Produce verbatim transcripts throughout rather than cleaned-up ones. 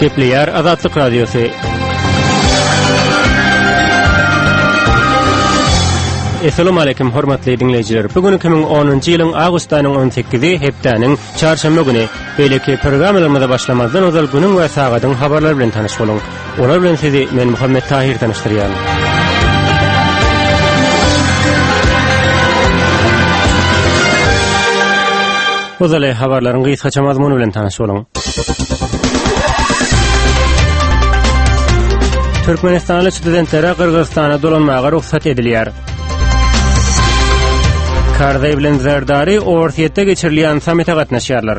Gepleýär Azatlyk Radiosy. Essalamu aleýkum hormatly diňleýjiler. Bu gün iki müň onunjy ýylyň awgust aýynyň on sekizi hepdäniň çarşenbe güni. Beýleki programmalarymyza başlamazdan ozal günüň we sagadyň habarlary bilen tanyş boluň. Olar bilen sizi men Muhammet Tahir tanyşdyrýan. Ozaly habarlaryň gysgaça mazmuny bilen tanyş boluň. Türkmenistanly studentlere Gyrgyzystana dolanmaga rugsat edilýär. Karzaý bilen Zerdari Orsýetde geçirilýän sammite gatnaşýarlar.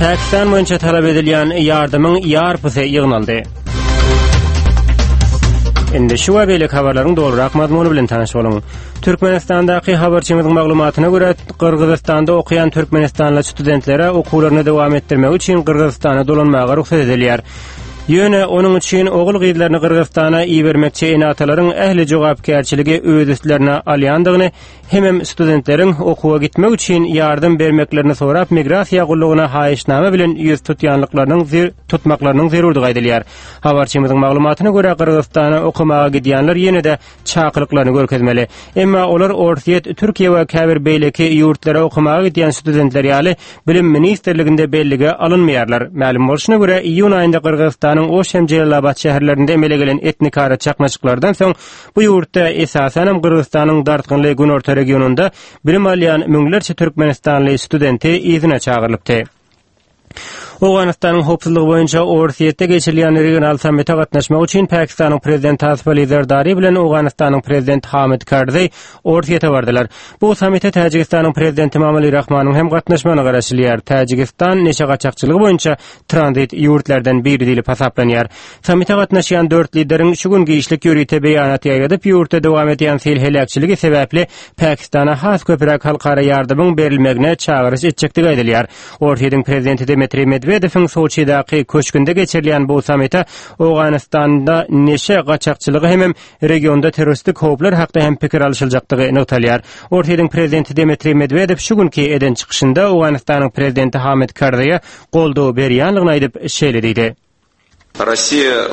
Pakistan boýunça talap edilýän ýardamyň ýarpysy ýygnaldy. Indi şu we beýleki habarlaryň dolurak mazmuny bilen tanyş boluň. Türkmenistandaky habarçymyzyň maglumatyna görä, Gyrgyzystanda okaýan türkmenistanly studentlere okuwlaryny dowam etdirmek üçin Gyrgyzystana dolanmaga rugsat edilýär. Ýöne onuň üçin ogul-gyzlaryny Gyrgyzystana ibermekçi ene-atalaryň ähli jogapkärçiligi öz üstlerine alýandygyny, hemem studentleriň okuwa gitmek üçin ýardam bermeklerini sorap migrasiýa gullugyna haýyşnama bilen ýüz tutýanlyklarynyň tutmaklarynyň zerurdygy aýdylýar. Habarçymyzyň maglumatyna görä, Gyrgyzystana okamaga gidýänler ýene-de çakylyklaryny görkezmeli. Emma olar Orsýet, Türkiýe we käbir beýleki ýurtlara okamaga gidýän studentler ýaly Bilim ministrliginde bellige alynmaýarlar. Mälim bolşuna görä, iýun aýynda Gyrgyzystanyň Oş hem Jelalabat şäherlerinde emele gelen etnikara çaknyşyklardan soň bu ýurtda, esasanam Gyrgyzystanyň dartgynly günorta regionynda bilim alýan müňlerçe türkmenistanly studenti yzyna çagyrylypdy. Owganystanyň howpsuzlygy boýunça Orsýetde geçirilýän regional sammite gatnaşmak üçin Pakistanyň prezidenti Asif Ali Zerdari bilen Owganystanyň prezidenti Hamid Karzaý Orsýete bardylar. Bu sammite Täjigistanyň prezidenti Emomali Rahmanyň hem gatnaşmagyna garaşylýar. Täjigistan neşe gaçakçylygy boýunça tranzit ýurtlardan biri diýlip hasaplanýar. Sammite gatnaşýan dört lideriň şu gün giçlik ýörite beýanat ýaýradyp, ýurtda dowam edýän sil heläkçiligi sebäpli Pakistana has köpräk halkara ýardamyň berilmegine çagyryş etjekdigi aýdylýar. Orsýetiň prezidenti Dmitriý Medwedewiň Soçidäki köşgünde geçirilýän bu sammite Owganystanda neşe gaçakçylygy hemem regionda terroristik howplar hakda hem pikir alyşyljakdygy nygtalýar. Orsýetiň prezidenti Dmitriý Medwedew şu günki eden çykyşynda Owganystanyň prezidenti Hamid Karzaýa goldaw berýänligini aýdyp, şeýle diýdi. Rossiýa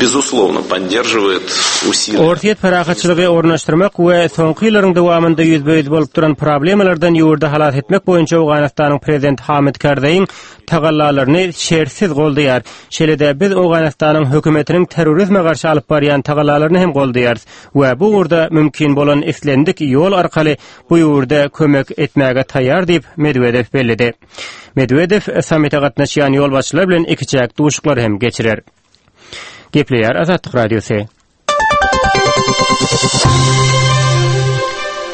bezuslovno podderžiwaet usiliýa. Orsýet parahatçylygy ornaşdyrmak we soňky ýyllaryň dowamynda ýüzbe-ýüz bolup duran problemalardan ýurdy halas etmek boýunça Owganystanyň prezidenti Hamid Karzaýyň tagallalaryny şertsiz goldaýar. Şeýle-de biz Owganystanyň hökümetiniň terrorizme garşy alyp barýan tagallalaryny hem goldaýarys we bu ugurda mümkin bolan islendik ýol arkaly bu ýurda kömek etmäge taýýar diýip, Medwedew belledi. Medwedew sammite gatnaşýan ýolbaşçylar bilen ikiçäk duşuşyklary hem geçirer. Gepleýär Azatlyk Radiosy.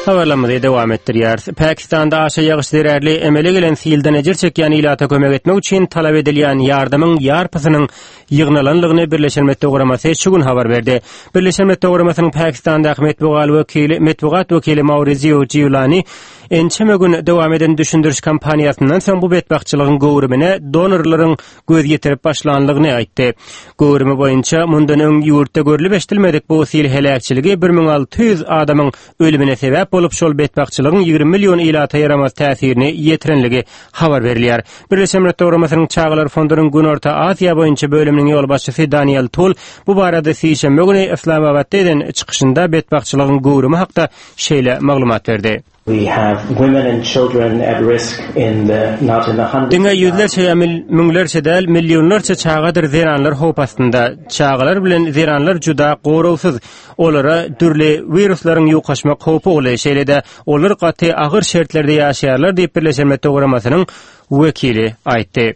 Habarlarymyzy dowam etdirýäris. Pakistanda aşa ýagyş zerarly emele gelen silden ejir çekýän ilata kömek etmek üçin talap edilýän ýardamyň ýarpysynyň ýygnalanlygyny Birleşen Milletler Guramasy şu gün habar berdi. Birleşen Milletler Guramasynyň Pakistandaky metbugat wekili, metbugat wekili Maurizio Giulani ençeme gün dowam eden düşündiriş kampaniýasyndan soň bu betbagtçylygyň göwrümine donorlaryň göz ýetirip başlanlygyny aýtdy. Göwrümi boýunça mundan öň ýurtda görlüp-eşidilmedik bu sil heläkçiligi bir müň alty ýüz adamyň ölümine sebäp bolup, şol betbagtçylygyň ýigrimi million ilata ýaramaz täsirini ýetirenligi habar berilýär. Birleşen Milletler Guramasynyň Çagalar fondunyň Günorta Aziýa boýunça bölüminiň ýolbaşçysy Daniel Tul bu barada sişenbe güni Yslamabatda eden çykyşynda betbagtçylygyň göwrümi hakda şeýle maglumat berdi. We have women and children at risk in the not in the hundreds Diňe ýüzlerçe ýa müňlerçe däl, millionlarça çagadyr zenanlar howp astynda. Çagalar bilen zenanlar juda goragsyz. Olara dürli wiruslaryň ýokaşmak howpy uly. Şeýle-de, olar gaty agyr şertlerde ýaşaýarlar diýip, Birleşen Milletler Guramasynyň wekili aýtdy.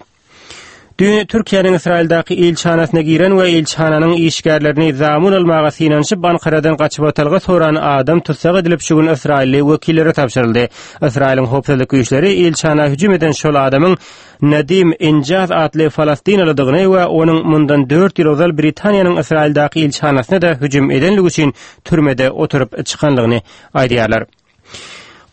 Düýn Türkiýäniň Ysraýyldaky ilçihanasyna giren we ilçihananyň işgärlerini zamun almaga synanyşyp, Ankaradan gaçybatalga soran adam tussag edilip, şu gün ysraýylly wekillere tabşyryldy. Ysraýylyň howpsuzlyk güýçleri ilçihana hüjüm eden şol adamyň Nadim Injaz atly falastinalydygyny we onuň mundan dört ýyl ozal Britaniýanyň Ysraýyldaky ilçihanasyna-da hüjüm edenligi üçin türmede oturyp çykanlygyny aýdýarlar.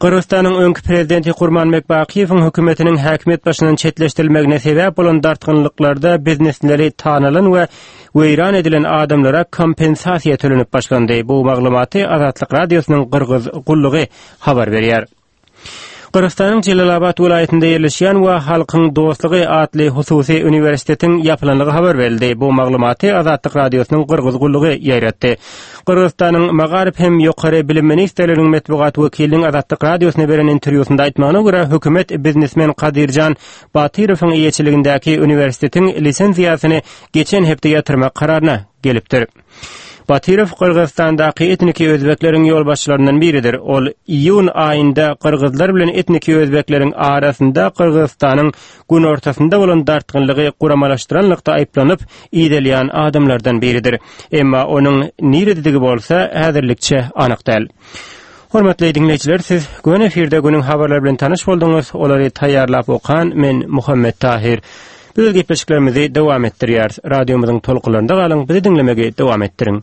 Gyrgyzystanyň öňki prezidenti Kurmanbek Bakyýewiň hökümetiniň häkimiýet başyndan çetleşdirilmegine sebäp bolan dartgynlyklarda biznesleri tanalan we weýran edilen adamlara kompensasiýa tölenip başlandy. Bu maglumaty Azatlyk Radiosynyň Gyrgyz gullugy habar berýär. Gyrgyzystanyň Jelalabat welaýatynda ýerleşýän we Halkyň dostlugy atly hususy uniwersitetiň ýapylandygy habar berildi. Bu maglumaty Azatlyk Radiosynyň Gyrgyz gullugy ýaýratdy. Gyrgyzystanyň Magaryf hem Ýokary bilim ministrliginiň metbugat wekiliniň Azatlyk Radiosyna beren interwýusynda aýtmagyna görä, hökümet biznesmen Kadyrjan Batyrowyň eýeçiligindäki uniwersitetiň lisenziýasyny geçen hepde ýatyrmak kararyna gelipdir. Batyrow Gyrgyzystandaky etniki özbekleriň ýolbaşçylaryndan biridir. Ol iýun aýynda gyrgyzlar bilen etniki özbekleriň arasynda Gyrgyzystanyň günortasynda bolan dartgynlygy guramalaşdyranlykda aýyplanyp, idelýän adamlardan biridir. Emma onuň nirededigi bolsa häzirlikçe anyk däl. Hormatly diňleýjiler, siz göni efirde günüň habarlary bilen tanyş bolduňyz. Olary taýýarlap okan men Muhammet Tahir. Biz gepleşiklerimizi dowam etdirýäris. Radiomyzyň tolkunlarynda galyň, bizi diňlemegi dowam etdiriň.